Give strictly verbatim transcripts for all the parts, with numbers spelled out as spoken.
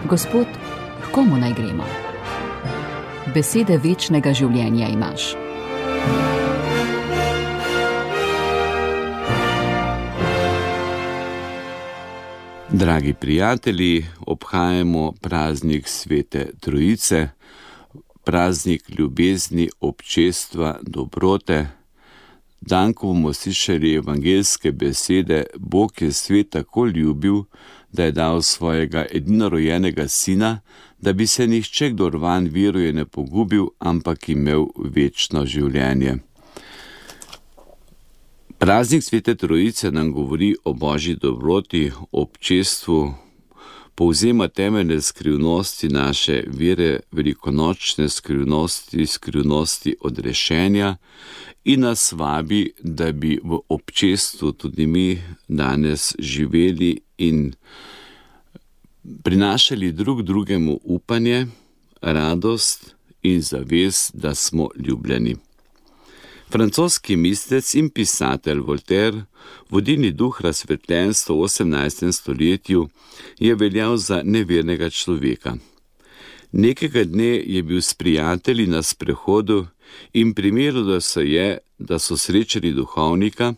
Gospod, h komu naj gremo? Besede večnega življenja imaš. Dragi prijatelji, obhajamo praznik Svete Trojice, praznik ljubezni, občestva, dobrote. Dan, ko bomo slišali evangeljske besede, Bog je svet tako ljubil, da je dal svojega edinorojenega sina, da bi se nihče, kdor vanj veruje, ne pogubil, ampak imel večno življenje. Praznik Svete Trojice nam govori o Božji dobroti, občestvu, povzema temeljne skrivnosti naše vere, velikonočne skrivnosti, skrivnosti odrešenja in nas vabi, da bi v občestvu tudi mi danes živeli in prinašali drug drugemu upanje, radost in zavest, da smo ljubljeni. Francoski mislec in pisatelj Voltaire, vodilni duh razsvetljenstva v osemnajstem stoletju, je veljal za nevernega človeka. Nekega dne je bil s prijatelji na sprehodu in primerilo se je, da so srečali duhovnika,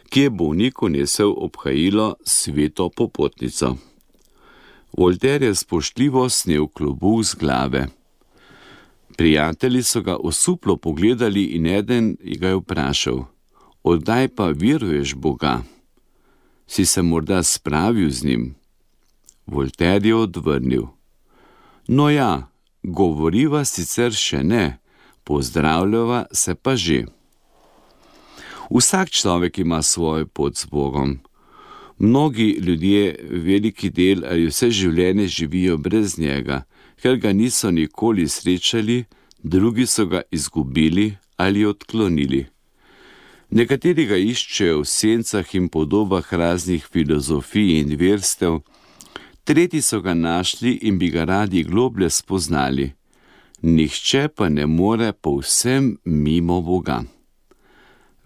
ki je bolniku nesel obhajilo sveto popotnico. Voltaire je spoštljivo snel klobuk z glave. Prijatelji so ga osuplo pogledali in eden ga je vprašal: "Oddaj pa veruješ Boga? Si se morda spravil z njim?" Voltaire je odvrnil: "No ja, govoriva sicer še ne, pozdravljava se pa že." Vsak človek ima svojo pot z Bogom. Mnogi ljudje veliki del ali vse življenje živijo brez njega, ker ga niso nikoli srečali, drugi so ga izgubili ali odklonili. Nekateri ga iščejo v sencah in podobah raznih filozofij in verstev, tretji so ga našli in bi ga radi globlje spoznali. Nihče pa ne more povsem mimo Boga.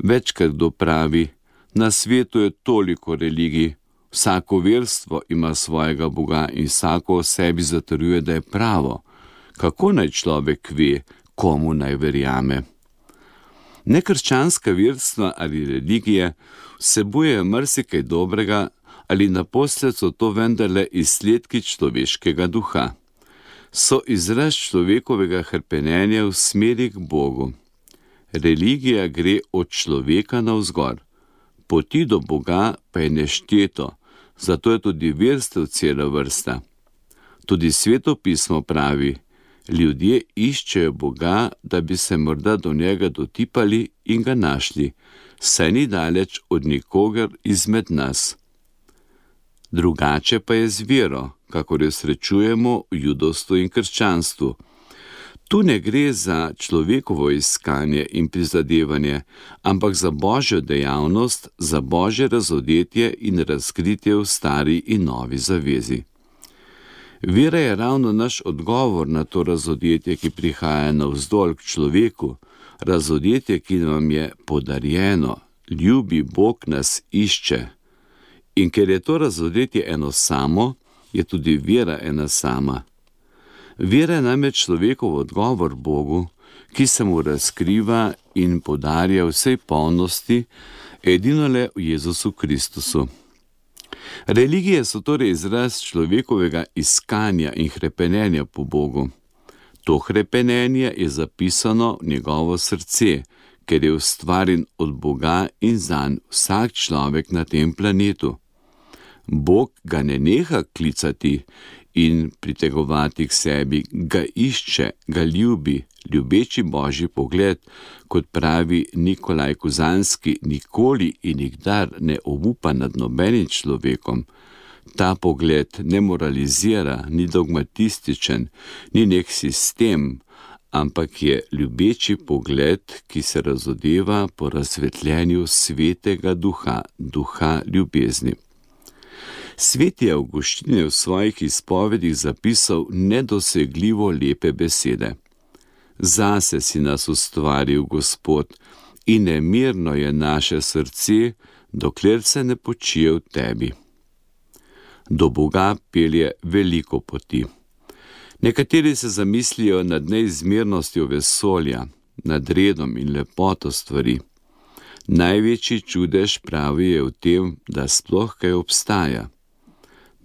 Večkrat kdo pravi: "Na svetu je toliko religij, vsako verstvo ima svojega Boga in vsako o sebi zatrjuje, da je pravo. Kako naj človek ve, komu naj verjame?" Nekrščanska verstva ali religije vsebujejo marsikaj dobrega, ali naposled so to vendarle izsledki človeškega duha. So izraz človekovega hrepenenja v smeri k Bogu. Religija gre od človeka navzgor, poti do Boga pa je nešteto, zato je tudi verstev cela vrsta. Tudi Sveto pismo pravi: "Ljudje iščejo Boga, da bi se morda do njega dotipali in ga našli, saj ni daleč od nikogar izmed nas." Drugače pa je z vero, kakor jo srečujemo v judovstvu in krščanstvu. Tu ne gre za človekovo iskanje in prizadevanje, ampak za Božjo dejavnost, za Božje razodetje in razkritje v stari in novi zavezi. Vera je ravno naš odgovor na to razodetje, ki prihaja navzdol k človeku, razodetje, ki nam je podarjeno. Ljubi Bog nas išče. In ker je to razodetje eno samo, je tudi vera ena sama. Vera je namreč človekov odgovor Bogu, ki se mu razkriva in podarja vsej polnosti, edinole v Jezusu Kristusu. Religije so torej izraz človekovega iskanja in hrepenenja po Bogu. To hrepenenje je zapisano v njegovo srce, ker je ustvarjen od Boga in zanj vsak človek na tem planetu. Bog ga ne neha klicati in pritegovati k sebi, ga išče, ga ljubi, ljubeči Božji pogled, kot pravi Nikolaj Kozanski, nikoli in nikdar ne obupa nad nobenim človekom. Ta pogled ne moralizira, ni dogmatističen, ni nek sistem, ampak je ljubeči pogled, ki se razodeva po razsvetljenju svetega duha, duha ljubezni. Sveti Avguštin je v svojih izpovedih zapisal nedosegljivo lepe besede. Zase si nas ustvaril, Gospod, in nemirno je naše srce, dokler se ne počije v tebi. Do Boga pelje veliko poti. Nekateri se zamislijo nad neizmernostjo vesolja, nad redom in lepoto stvari. Največji čudež pravi je v tem, da sploh kaj obstaja.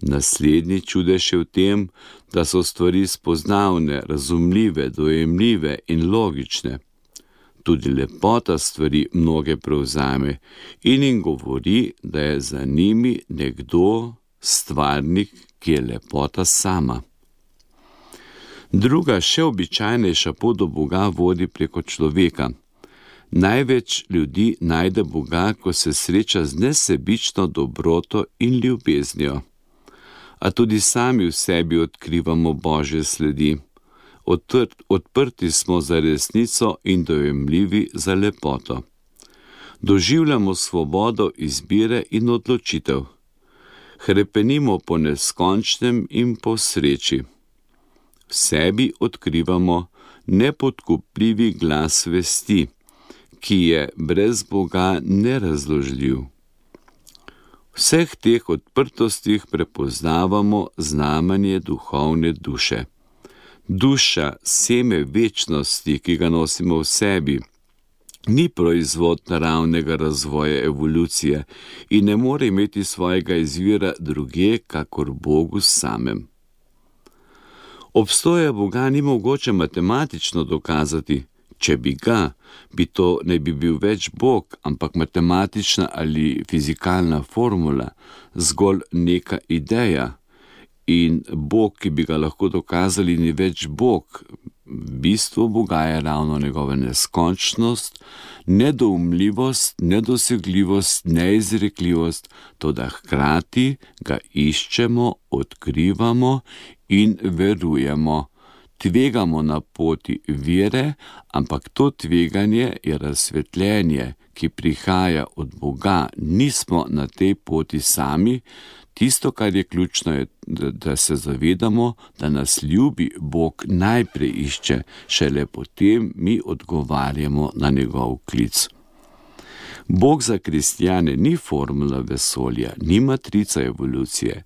Naslednji čudež je v tem, da so stvari spoznavne, razumljive, dojemljive in logične. Tudi lepota stvari mnoge prevzame in jim govori, da je za njimi nekdo stvarnik, ki je lepota sama. Druga, še običajnejša pot do Boga vodi preko človeka. Največ ljudi najde Boga, ko se sreča z nesebično dobroto in ljubeznijo. A tudi sami v sebi odkrivamo Božje sledi. Odprt, odprti smo za resnico in dojemljivi za lepoto. Doživljamo svobodo izbire in odločitev. Hrepenimo po neskončnem in po sreči. V sebi odkrivamo nepodkupljivi glas vesti, ki je brez Boga nerazložljiv. V vseh teh odprtostih prepoznavamo znamenje duhovne duše. Duša, seme večnosti, ki ga nosimo v sebi, ni proizvod naravnega razvoja evolucije in ne more imeti svojega izvira drugje, kakor Bogu samem. Obstoja Boga ni mogoče matematično dokazati. Če bi ga, bi to ne bi bil več Bog, ampak matematična ali fizikalna formula, zgolj neka ideja. In Bog, ki bi ga lahko dokazali, ni več Bog. Bistvo Boga je ravno njegova neskončnost, nedoumljivost, nedosegljivost, neizrekljivost, toda hkrati ga iščemo, odkrivamo in verujemo. Tvegamo na poti vere, ampak to tveganje je razsvetljenje, ki prihaja od Boga. Nismo na tej poti sami. Tisto, kar je ključno, je, da se zavedamo, da nas ljubi Bog najprej išče, šele potem mi odgovarjamo na njegov klic. Bog za kristjane ni formula vesolja, ni matrica evolucije,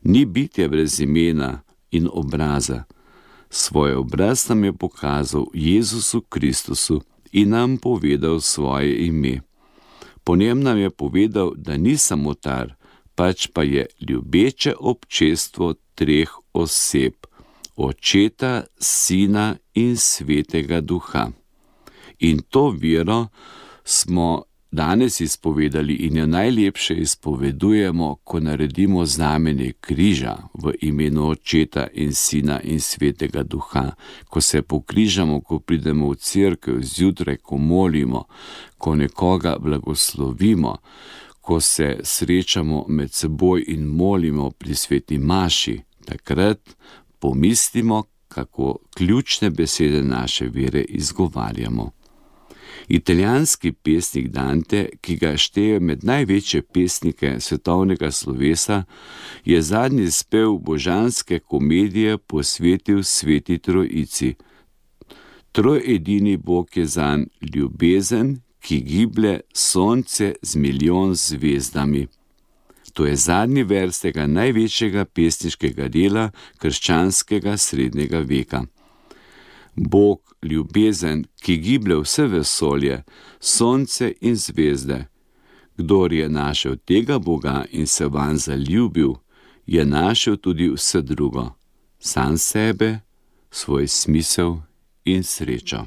ni bitje brez imena in obraza. Svoj obraz nam je pokazal Jezusu Kristusu in nam povedal svoje ime. Po njem nam je povedal, da ni samotar, pač pa je ljubeče občestvo treh oseb, Očeta, Sina in Svetega Duha. In to vero smo danes izpovedali in jo najlepše izpovedujemo, ko naredimo znamenje križa v imenu Očeta in Sina in Svetega Duha, ko se pokrižamo, ko pridemo v cerkev zjutraj, ko molimo, ko nekoga blagoslovimo, ko se srečamo med seboj in molimo pri sveti maši. Takrat pomislimo, kako ključne besede naše vere izgovarjamo. Italijanski pesnik Dante, ki ga šteje med največje pesnike svetovnega slovesa, je zadnji spev božanske komedije posvetil Sveti Trojici. Trojedini Bog je zanj ljubezen, ki giblje sonce z milijon zvezdami. To je zadnji vers tega največjega pesniškega dela krščanskega srednjega veka. Bog, ljubezen, ki giblje vse vesolje, sonce in zvezde. Kdor je našel tega Boga in se vanj zaljubil, je našel tudi vse drugo, sam sebe, svoj smisel in srečo.